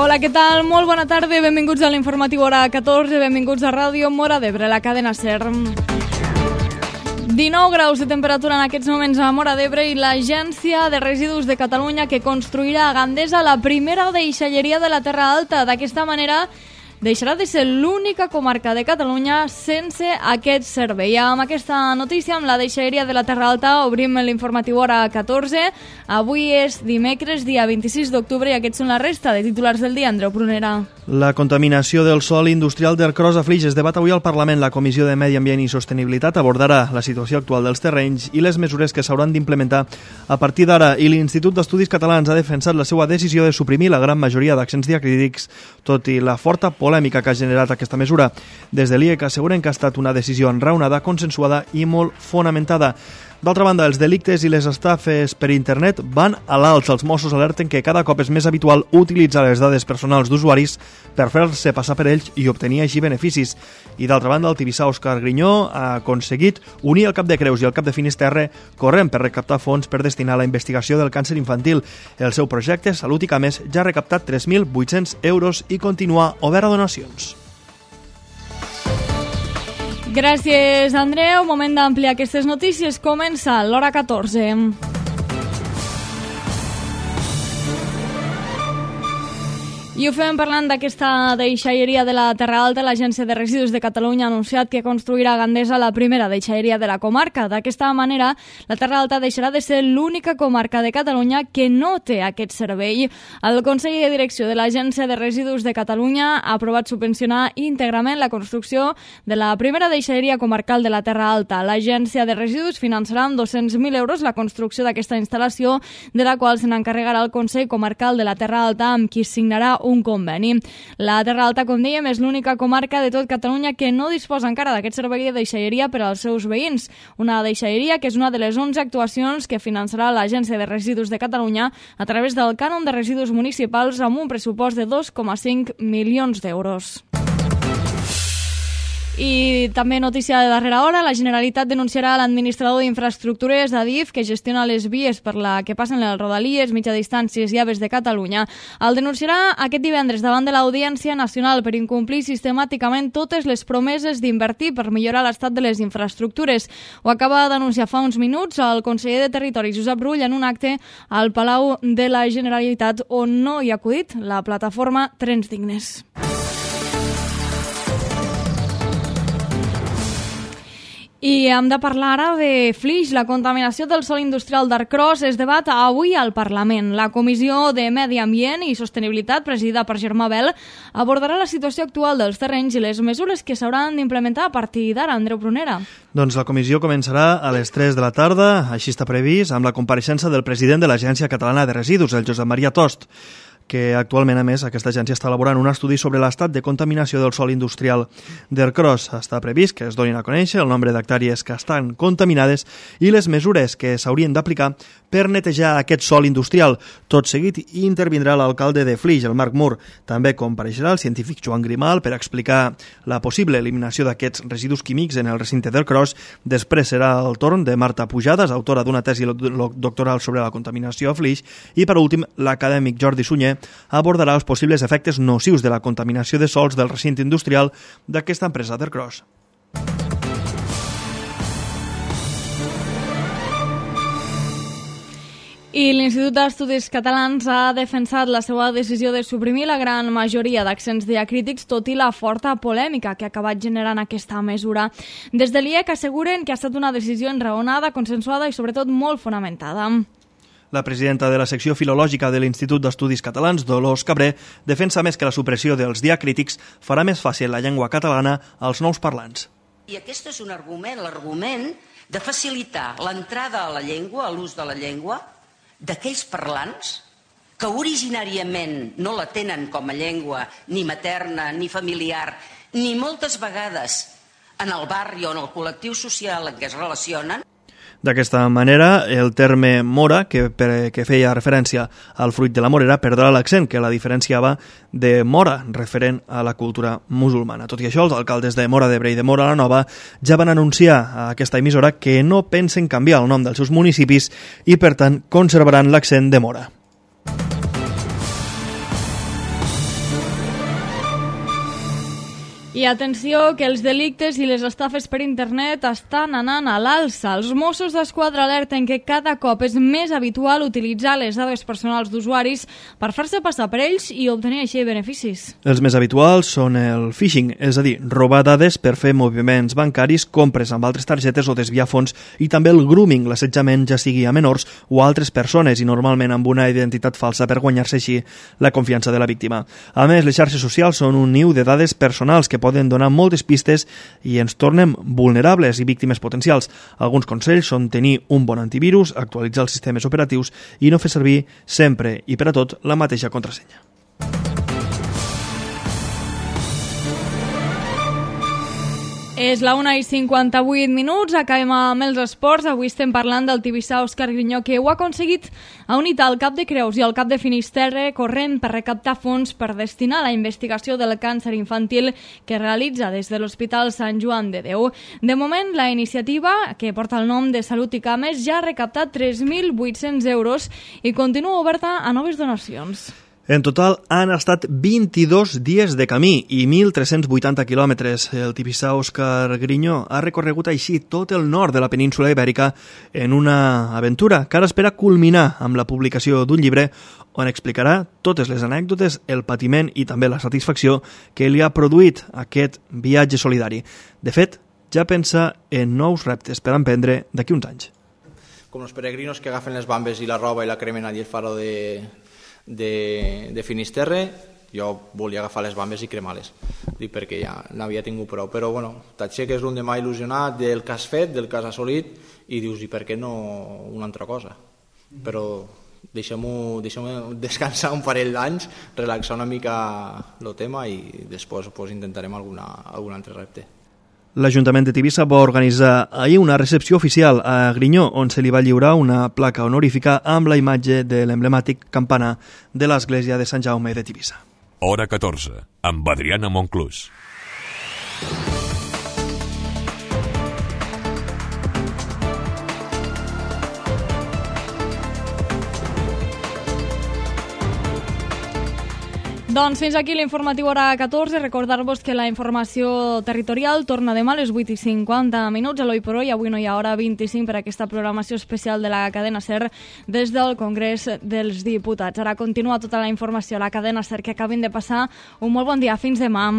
Hola, què tal? Molt bona tarda, benvinguts a l'informatiu hora 14, benvinguts a Ràdio Móra d'Ebre, la cadena SER. 19 graus de temperatura en aquests moments a Móra d'Ebre i l'Agència de Residus de Catalunya que construirà a Gandesa la primera deixalleria de la Terra Alta. D'aquesta manera deixarà de ser l'única comarca de Catalunya sense aquest servei. Amb aquesta notícia, amb la deixalleria de la Terra Alta, obrim l'informatiu hora 14. Avui és dimecres, dia 26 d'octubre, i aquests són la resta de titulars del dia. Andreu Prunera. La contaminació del sòl industrial d'Ercros a Flix es debat avui al Parlament. La Comissió de Medi Ambient i Sostenibilitat abordarà la situació actual dels terrenys i les mesures que s'hauran d'implementar a partir d'ara. I l'Institut d'Estudis Catalans ha defensat la seva decisió de suprimir la gran majoria d'accents diacrítics, tot i la forta polèmica que ha generat aquesta mesura. Des de l'IEC asseguren que ha estat una decisió enraonada, consensuada i molt fonamentada. D'altra banda, els delictes i les estafes per internet van a l'alça. Els Mossos alerten que cada cop és més habitual utilitzar les dades personals d'usuaris per fer-se passar per ells i obtenir així beneficis. I d'altra banda, el tibissà Òscar Grinyó ha aconseguit unir el Cap de Creus i el Cap de Finisterre corrent per recaptar fons per destinar a la investigació del càncer infantil. El seu projecte, Salut i Cames, ja ha recaptat 3.800 euros i continua obert a donacions. Gràcies, Andreu. Moment d'ampliar aquestes notícies. Comença l'hora 14. I ho fem parlant d'aquesta deixalleria de la Terra Alta. L'Agència de Residus de Catalunya ha anunciat que construirà a Gandesa la primera deixalleria de la comarca. D'aquesta manera, la Terra Alta deixarà de ser l'única comarca de Catalunya que no té aquest servei. El Consell de Direcció de l'Agència de Residus de Catalunya ha aprovat subvencionar íntegrament la construcció de la primera deixalleria comarcal de la Terra Alta. L'Agència de Residus finançarà amb 200.000 euros la construcció d'aquesta instal·lació, de la qual se n'encarregarà el Consell Comarcal de la Terra Alta, amb qui signarà un conveni. La Terra Alta, com dèiem, és l'única comarca de tot Catalunya que no disposa encara d'aquest servei de deixalleria per als seus veïns. Una deixalleria que és una de les 11 actuacions que finançarà l'Agència de Residus de Catalunya a través del cànon de residus municipals amb un pressupost de 2,5 milions d'euros. I també notícia de darrera hora, la Generalitat denunciarà l'administrador d'infraestructures, Adif, que gestiona les vies per la que passen les rodalies, mitja distàncies i AVEs de Catalunya. El denunciarà aquest divendres davant de l'Audiència Nacional per incomplir sistemàticament totes les promeses d'invertir per millorar l'estat de les infraestructures. Ho acaba d'anunciar fa uns minuts el conseller de Territori, Josep Rull, en un acte al Palau de la Generalitat on no hi ha acudit la plataforma Trens Dignes. I hem de parlar ara de Flix. La contaminació del sòl industrial d'Ercros es debat avui al Parlament. La Comissió de Medi Ambient i Sostenibilitat, presidida per Germà Bel, abordarà la situació actual dels terrenys i les mesures que s'hauran d'implementar a partir d'ara. Andreu Prunera. Doncs la comissió començarà a les 3 de la tarda, així està previst, amb la compareixença del president de l'Agència Catalana de Residus, el Josep Maria Tost, que actualment, a més, aquesta agència està elaborant un estudi sobre l'estat de contaminació del sòl industrial d'Ercros. Està previst que es donin a conèixer el nombre d'hectàrees que estan contaminades i les mesures que s'haurien d'aplicar per netejar aquest sòl industrial. Tot seguit intervindrà l'alcalde de Flix, el Marc Mur. També compareixerà el científic Joan Grimal per explicar la possible eliminació d'aquests residus químics en el recinte d'Ercros. Després serà el torn de Marta Pujades, autora d'una tesi doctoral sobre la contaminació a Flix. I, per últim, l'acadèmic Jordi Sunyer abordarà els possibles efectes nocius de la contaminació de sòls del recinte industrial d'aquesta empresa d'Ercros. I l'Institut d'Estudis Catalans ha defensat la seva decisió de suprimir la gran majoria d'accents diacrítics, tot i la forta polèmica que ha acabat generant aquesta mesura. Des de l'IEC asseguren que ha estat una decisió enraonada, consensuada i sobretot molt fonamentada. La presidenta de la secció filològica de l'Institut d'Estudis Catalans, Dolors Cabré, defensa més que la supressió dels diacrítics farà més fàcil la llengua catalana als nous parlants. I aquest és un argument, l'argument de facilitar l'entrada a la llengua, a l'ús de la llengua, d'aquells parlants que originàriament no la tenen com a llengua ni materna, ni familiar, ni moltes vegades en el barri o en el col·lectiu social en què es relacionen. D'aquesta manera, el terme mora, que feia referència al fruit de la morera, perdrà l'accent que la diferenciava de mora, referent a la cultura musulmana. Tot i això, els alcaldes de Móra d'Ebre i de Móra la Nova ja van anunciar a aquesta emissora que no pensen canviar el nom dels seus municipis i, per tant, conservaran l'accent de Móra. I atenció que els delictes i les estafes per internet estan anant a l'alça. Els Mossos d'Esquadra alerten que cada cop és més habitual utilitzar les dades personals d'usuaris per fer-se passar per ells i obtenir així beneficis. Els més habituals són el phishing, és a dir, robar dades per fer moviments bancaris, compres amb altres targetes o desviar fons, i també el grooming, l'assetjament ja sigui a menors o a altres persones i normalment amb una identitat falsa per guanyar-se així la confiança de la víctima. A més, les xarxes socials són un niu de dades personals que poden donar moltes pistes i ens tornem vulnerables i víctimes potencials. Alguns consells són tenir un bon antivirus, actualitzar els sistemes operatius i no fer servir sempre i per a tot la mateixa contrasenya. És la 1:58, acabem amb els esports. Avui estem parlant del tibissà Òscar Grinyó, que ho ha aconseguit. Ha unit el cap de Creus i el cap de Finisterre corrent per recaptar fons per destinar a la investigació del càncer infantil que realitza des de l'Hospital Sant Joan de Déu. De moment, la iniciativa, que porta el nom de Salut i Cames, ja ha recaptat 3.800 euros i continua oberta a noves donacions. En total han estat 22 dies de camí i 1.380 quilòmetres. El tibissà Òscar Grinyó ha recorregut així tot el nord de la península ibèrica en una aventura que ara espera culminar amb la publicació d'un llibre on explicarà totes les anècdotes, el patiment i també la satisfacció que li ha produït aquest viatge solidari. De fet, ja pensa en nous reptes per emprendre d'aquí uns anys. Com els peregrinos que agafen les bambes i la roba i la cremen allí al faro de Finisterre, jo volia agafar les bambes i cremar-les, perquè ja n'havia tingut prou, però bueno, t'aixeques l'endemà il·lusionat del que has fet, del que has assolit, i dius, i per què no una altra cosa? Però deixem-ho descansar un parell d'anys, relaxar una mica el tema i després intentarem algun altre repte. L'Ajuntament de Tivissa va organitzar ahir una recepció oficial a Grinyó, on se li va lliurar una placa honorífica amb la imatge de l'emblemàtic campanar de l'església de Sant Jaume de Tivissa. Hora 14, amb Adriana Monclús. Doncs fins aquí l'informatiu hora 14. Recordar-vos que la informació territorial torna demà a les 8:50 a l'Oi per Oi. Avui no hi ha hora 25 per aquesta programació especial de la cadena SER des del Congrés dels Diputats. Ara continua tota la informació a la cadena SER que acabin de passar. Un molt bon dia. Fins demà.